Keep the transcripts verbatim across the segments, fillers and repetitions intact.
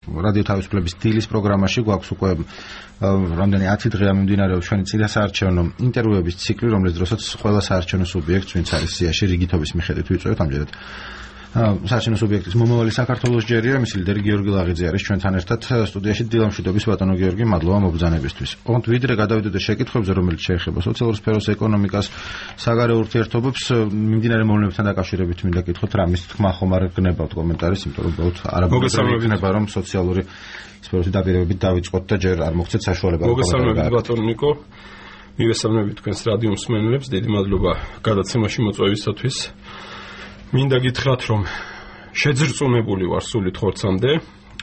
რადიო თავისუფლების დილის პროგრამაში გვაქვს უკვე რამდენი ათი დღეა მიმდინარეობს ჩვენი წინა საარჩევნო ინტერვიუების ციკლი, რომლის დროსაც ყველა საარჩევნო სუბიექტს, ვინც არის სიაში, რიგითობის მიხედვით ვიწვევთ ამჯერად. საარჩევნო სუბიექტის მომავალი საქართველოს ჯერია, მისი ლიდერი გიორგი ლაღიძე არის ჩვენთან ერთად სტუდიაში. დილამშვიდობის ბატონო გიორგი, მადლობა მობრძანებისთვის. ოღონდ ვიდრე გადავიდოდეთ შეკითხვებზე, რომელიც შეეხება სოციალურ სფეროს, ეკონომიკას, საგარეო ურთიერთობებს, მიმდინარე მოვლენებთან დაკავშირებით მინდა გითხოთ, რამის თქმა ხომ არ გნებავთ კომენტარის, იმიტომ რომ უბრალოდ არაბულებრივი იქნება, რომ სოციალური სფეროს დაპირებებით დავიწყოთ და ჯერ არ მოხდეთ საშუალება. მოგესალმებით ბატონო ნიკო, მივესალმებით თქვენს რადიო მსმენელებს, დიდი მადლობა გადაცემაში მოწვევისათვის. მინდა გითხრათ, რომ შეძრწუნებული ვარ სულით ხორცამდე,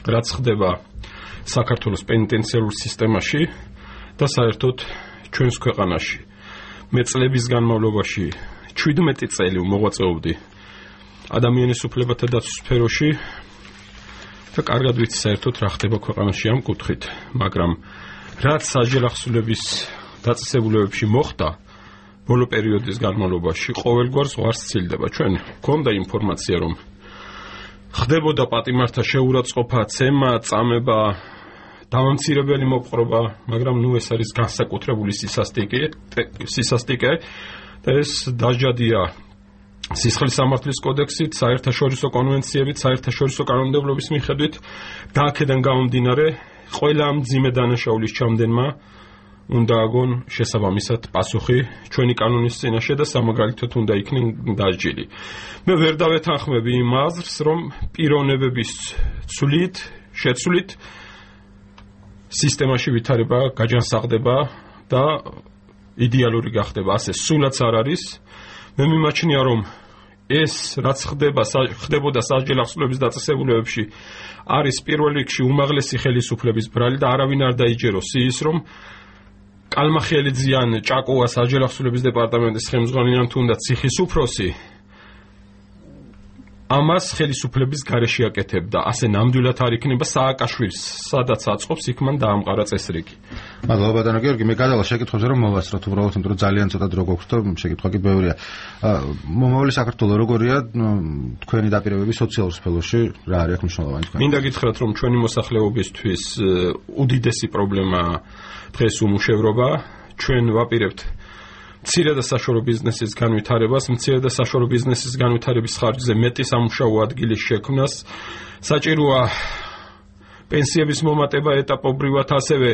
რაც ხდება საქართველოს პენიტენციარულ სისტემაში და საერთოდ ჩვენს ქვეყანაში. მე წლების განმავლობაში შვიდმეტი წელი მოღვაწეობდი ადამიანის უფლებათა დაცვის სფეროში და კარგად ვიცი საერთოდ რა ხდება ქვეყანაში ამ კუთხით, მაგრამ რაც საჯელახსულების დაწესებულებებში მოხდა ბოლო პერიოდის განმავლობაში ყოველგვარ ზღვარს ცილდება. ჩვენ გვქონდა ინფორმაცია, რომ ხდებოდა პატიმართა შეურაცხყოფა, ცემა, წამება, დამამცირებელი მოპყრობა, მაგრამ ნუ ეს არის განსაკუთრებული სისასტიკე, სისასტიკე და ეს დაჯადია სისხლის სამართლის კოდექსით, საერთაშორისო კონვენციებით, საერთაშორისო კანონმდებლობის მიხედვით და აქედან გამომდინარე ყველა მძიმე დანაშაულის ჩამდენმა უნდა აგონ შესაბამისად პასუხი ჩვენი კანონის წინაშე და სამაგალითოდ უნდა იქნեն დასჯილი. მე ვერ დავეთანხმები იმ აზრს, რომ პიროვნებების ცვლით, შეცვლით სისტემაში ვითარება გაჯანსაღდება და იდეალური გახდება. ასე სულაც არ არის. მე მიმაჩნია, რომ ეს რაც ხდება, ხდებოდა საჯელახსულების დაწესებულებებში არის პირველ რიგში უმაღლესი ხელისუფლების ბრალი და არავინ არ დაიჯეროს ის, რომ კალმახიელიძიან ჭაკუა საჯელახსულების დეპარტამენტის ხელმძღვანელი თუნდაც ციხის უფროსი ამას ხელისუფლების გარეშე აკეთებდა. ასე ნამდვილად არ იქნება სააკაშვილს, სადაც აწყობს, იქ მან დაამყარა წესრიგი. მადლობა ბატონო გიორგი, მე გადავალ შეკითხვებზე, რომ მოვასწროთ უბრალოდ, იმიტომ რომ ძალიან ცოტა დრო გვაქვს და შეკითხვა კი ბევრია. მომავალი საქართველო როგორია თქვენი დაპირებები სოციალურ სფეროში, რა არის აქ მნიშვნელოვანი თქვენ? მინდა გითხრათ, რომ ჩვენი მოსახლეობისთვის უდიდესი პრობლემა დღეს უმუშევრობა. ჩვენ ვაპირებთ მცირე და საშუალო ბიზნესის განვითარებას, მცირე და საშუალო ბიზნესის განვითარების ხარჯზე მეტი სამუშაო ადგილის შექმნას, საჭიროა პენსიების მომატება ეტაპობრივად, ასევე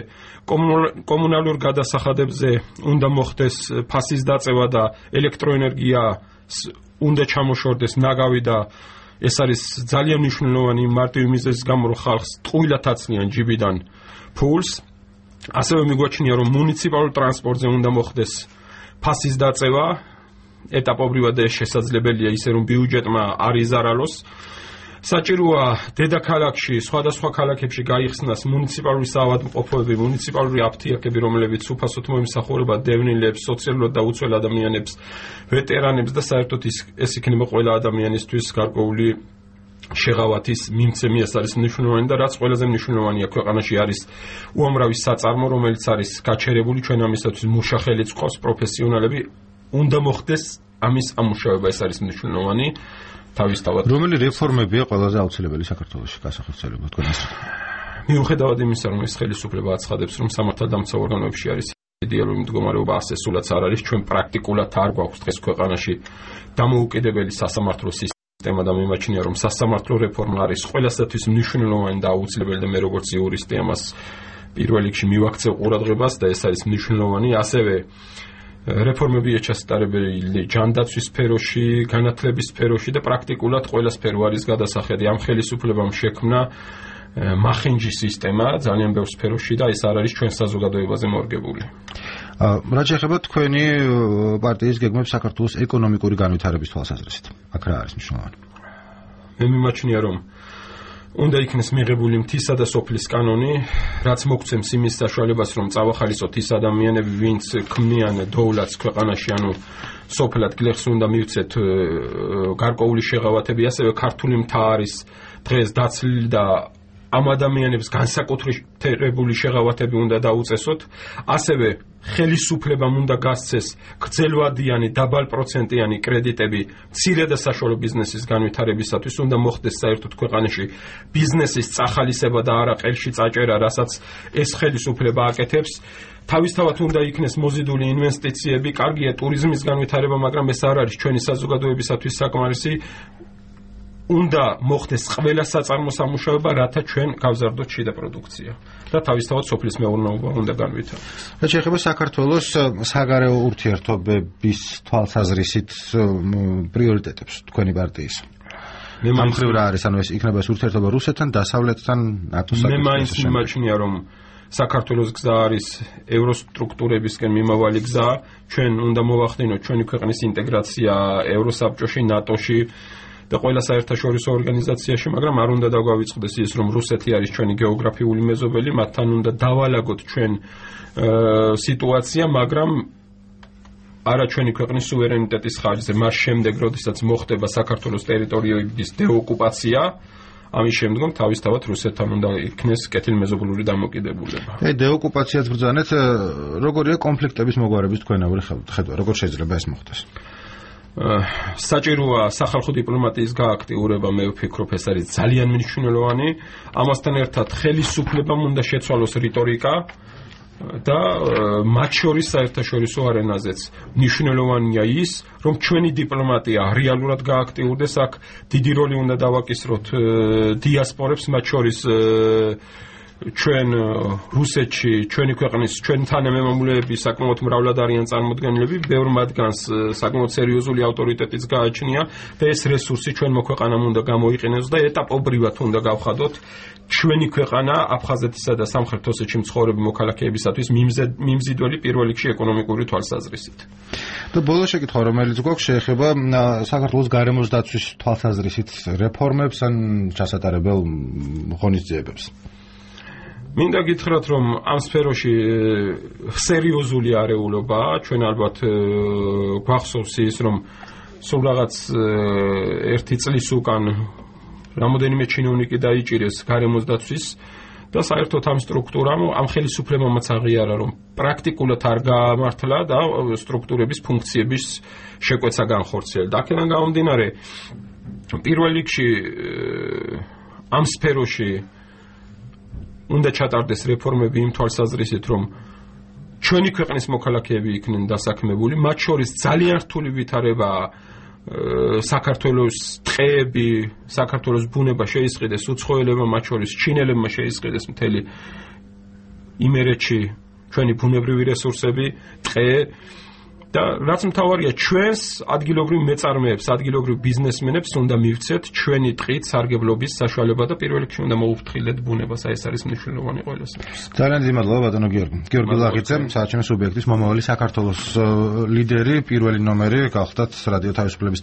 კომუნალურ გადასახადებზე უნდა მოხდეს ფასის დაწევა და ელექტროენერგია უნდა ჩამოშორდეს ნაგავი და ეს არის ძალიან მნიშვნელოვანი მარტივი მიზეზის გამო, რომ ხალხს ტყუილად აცნიან ჯიბიდან ფულს. ასევე მიგვაჩნია, რომ მუნიციპალურ ტრანსპორტზე უნდა მოხდეს ფასის დაწევა ეტაპობრივად და შესაძლებელია ისე, რომ ბიუჯეტმა არ იზარალოს. საჭიროა დედაქალაქში, სხვადასხვა ქალაქებში გაიხსნას მუნიციპალური საავადმყოფოები, მუნიციპალური აფთიაქები, რომლებიც უფასოდ მოემსახურება დევნილებს, სოციალურად დაუცველ ადამიანებს, ვეტერანებს და საერთოდ ეს იქნება ყველა ადამიანისთვის გარკვეული შეღავათის მიმცემი. ეს არის მნიშვნელოვანი და რაც ყველაზე მნიშვნელოვანია, ქვეყანაში არის უამრავი საწარმო, რომელიც არის გაჩერებული, ჩვენ ამისათვის მუშახელიც ყავს, პროფესიონალები, უნდა მოხდეს ამის ამუშავება, ეს არის მნიშვნელოვანი. თავისთავად რომელი რეფორმებია ყველაზე აუცილებელი საქართველოში გასახორცელებლად თქვენ ასეთ? მიუხედავად იმისა, რომ ეს ხელისუფლება აცხადებს, რომ სამართალდამცავ ორგანოებში არის იდეალური მდგომარეობა, ასე სულაც არ არის. ჩვენ პრაქტიკულად არ გვაქვს დღეს ქვეყანაში დამოუკიდებელი სასამართლო სისტემა და მიმაჩნია, რომ სასამართლო რეფორმა არის ყველასათვის მნიშვნელოვანი და აუცილებელი და მე როგორც იურისტი ამას პირველ რიგში მივაქცევ ყურადღებას და ეს არის მნიშვნელოვანი. ასევე რეფორმებია ჩასატარებელი ჯანდაცვის სფეროში, განათლების სფეროში და პრაქტიკულად ყველა სფერო არის გადასახედი. ამ ხელისუფლებამ შექმნა მახინჯი სისტემა ძალიან ბევრ სფეროში და ეს არ არის ჩვენ საზოგადოებაზე მორგებული. რაც შეეხება თქვენი პარტიის გეგმებს საქართველოს ეკონომიკური განვითარების თვალსაზრისით, აქ რა არის მნიშვნელოვანი? მე მიმაჩნია, რომ უნდა იქნეს მიღებული მთისა და სოფლის კანონი, რაც მოგცემს იმის საშუალებას, რომ წავახალისოთ ის ადამიანები, ვინც ქმნიან დოვლათს ქვეყანაში, ანუ სოფლად გლეხს უნდა მივცეთ გარკვეული შეღავათები, ასევე ქართული მთა არის დღეს დაცლილი და ამ ადამიანებს განსაკუთრებული შეღავათები უნდა დაუწესოთ, ასევე ხელისუფლებამ უნდა გასცეს გრძელვადიანი დაბალპროცენტიანი კრედიტები მცირე და საშუალო ბიზნესის განვითარებისათვის, უნდა მოხდეს საერთოდ ქვეყანაში ბიზნესის წახალისება და არა ყელში წაჭერა, რასაც ეს ხელისუფლება აკეთებს. თავისთავად უნდა იქნეს მოზიდული ინვესტიციები, კარგია ტურიზმის განვითარება, მაგრამ ეს არ არის ჩვენი საზოგადოებისათვის საკმარისი. უნდა მოხდეს ყველა საწარმო სამუშაოება, რათა ჩვენ გავზარდოთ შიდა პროდუქცია და თავისთავად სოფლის მეურნეობა უნდა განვითარდეს. რაც შეეხება საქართველოს საგარეო ურთიერთობების თვალსაზრისით პრიორიტეტებს თქვენი პარტიის. ამ მხრივ რა არის, ანუ ეს იქნება ეს ურთიერთობა რუსეთთან, დასავლეთთან, ნატოს მე მაინც მიმაჩნია, რომ საქართველოს გზა არის ევროსტრუქტურებისკენ მიმავალი გზა, ჩვენ უნდა მოვახდინოთ ჩვენი ქვეყნის ინტეგრაცია ევროსაბჭოში, ნატოში და ყველა საერთაშორისო ორგანიზაციაში, მაგრამ არ უნდა დაგვავიწყდეს ის, რომ რუსეთი არის ჩვენი გეოგრაფიული მეზობელი, მათთან უნდა დავალაგოთ ჩვენ სიტუაცია, მაგრამ არა ჩვენი ქვეყნის სუვერენიტეტის ხარჯზე. მას შემდეგ, როდესაც მოხდება საქართველოს ტერიტორიების დეოკუპაცია, ამის შემდგომ თავისთავად რუსეთთან უნდა იქნეს კეთილმეზობლური დამოკიდებულება. აი დეოკუპაციაც ბრძანეთ, როგორია კონფლიქტების მოგვარების თქვენავრი ხედვა, როგორ შეიძლება ეს მოხდეს? საჭიროა სახალხო დიპლომატიის გააქტიურება, მე ვფიქრობ, ეს არის ძალიან მნიშვნელოვანი. ამასთან ერთად ხელისუფლებამ უნდა შეცვალოს რიტორიკა და მათ შორის საერთაშორისო არენაზეც მნიშვნელოვანია ის, რომ ჩვენი დიპლომატია რეალურად გააქტიურდეს. აქ დიდი როლი უნდა დავაკისროთ დიასპორებს, მათ შორის ჩვენ რუსეთში, ჩვენი ქვეყნის, ჩვენი თანამემამულეები საკმაოდ მრავლად არიან წარმოდგენილები, ბევრ მათგანს საკმაოდ სერიოზული ავტორიტეტიც გააჩნია და ეს რესურსი ჩვენ მოქვეყანამ უნდა გამოიყენოს და ეტაპობრივად უნდა გავხადოთ ჩვენი ქვეყანა აფხაზეთისა და სამხრეთ ოსეთში მცხოვრები მოქალაქეებისათვის მიმზიდველი პირველ რიგში ეკონომიკური თვალსაზრისით. და ბოლოს შეკითხვა, რომელიც გვაქვს, შეეხება საქართველოს გარემოს დაცვის თვალსაზრისით რეფორმებს ან ჩასატარებელ ღონისძიებებს. მინდა გითხრათ, რომ ამ სფეროში სერიოზული არეულობაა. ჩვენ ალბათ გვახსოვს ის, რომ სულ რაღაც ერთი წლის უკან რამოდენიმე ჩინოვნიკი დაიჭირეს გარემოს დაცვის და საერთოდ ამ სტრუქტურამ, ამ ხელისუფლებამაც აღიარა, რომ პრაქტიკულად არ გაამართლა და სტრუქტურების ფუნქციების შეკვეცა განხორციელდა. აქედან გამომდინარე, პირველ რიგში ამ სფეროში უნდა ჩატარდეს რეფორმები იმ თვალსაზრისით, რომ ჩვენი ქვეყნის მოქალაქეები იქნენ დასაქმებული, მათ შორის ძალიან რთული ვითარებაა საქართველოს ტყეები, საქართველოს ბუნება შეისყიდეს უცხოელებმა, მათ შორის ჩინელებმა შეისყიდეს მთელი იმერეთში ჩვენი ბუნებრივი რესურსები, ტყე და რაც მთავარია, ჩვენს ადგილობრივ მეწარმეებს, ადგილობრივ ბიზნესმენებს უნდა მივცეთ ჩვენი ტყით სარგებლობის საშუალება და პირველ რიგში უნდა მოუფრთხილდეთ ბუნებას. აი ეს არის მნიშვნელოვანი ყველასათვის. ძალიან დიდი მადლობა ბატონო გიორგი. გიორგი ლაღიძე, საარჩევნო სუბიექტის მომავალი საქართველოს ლიდერი, პირველი ნომერი გახდათ რადიო თავისუფლების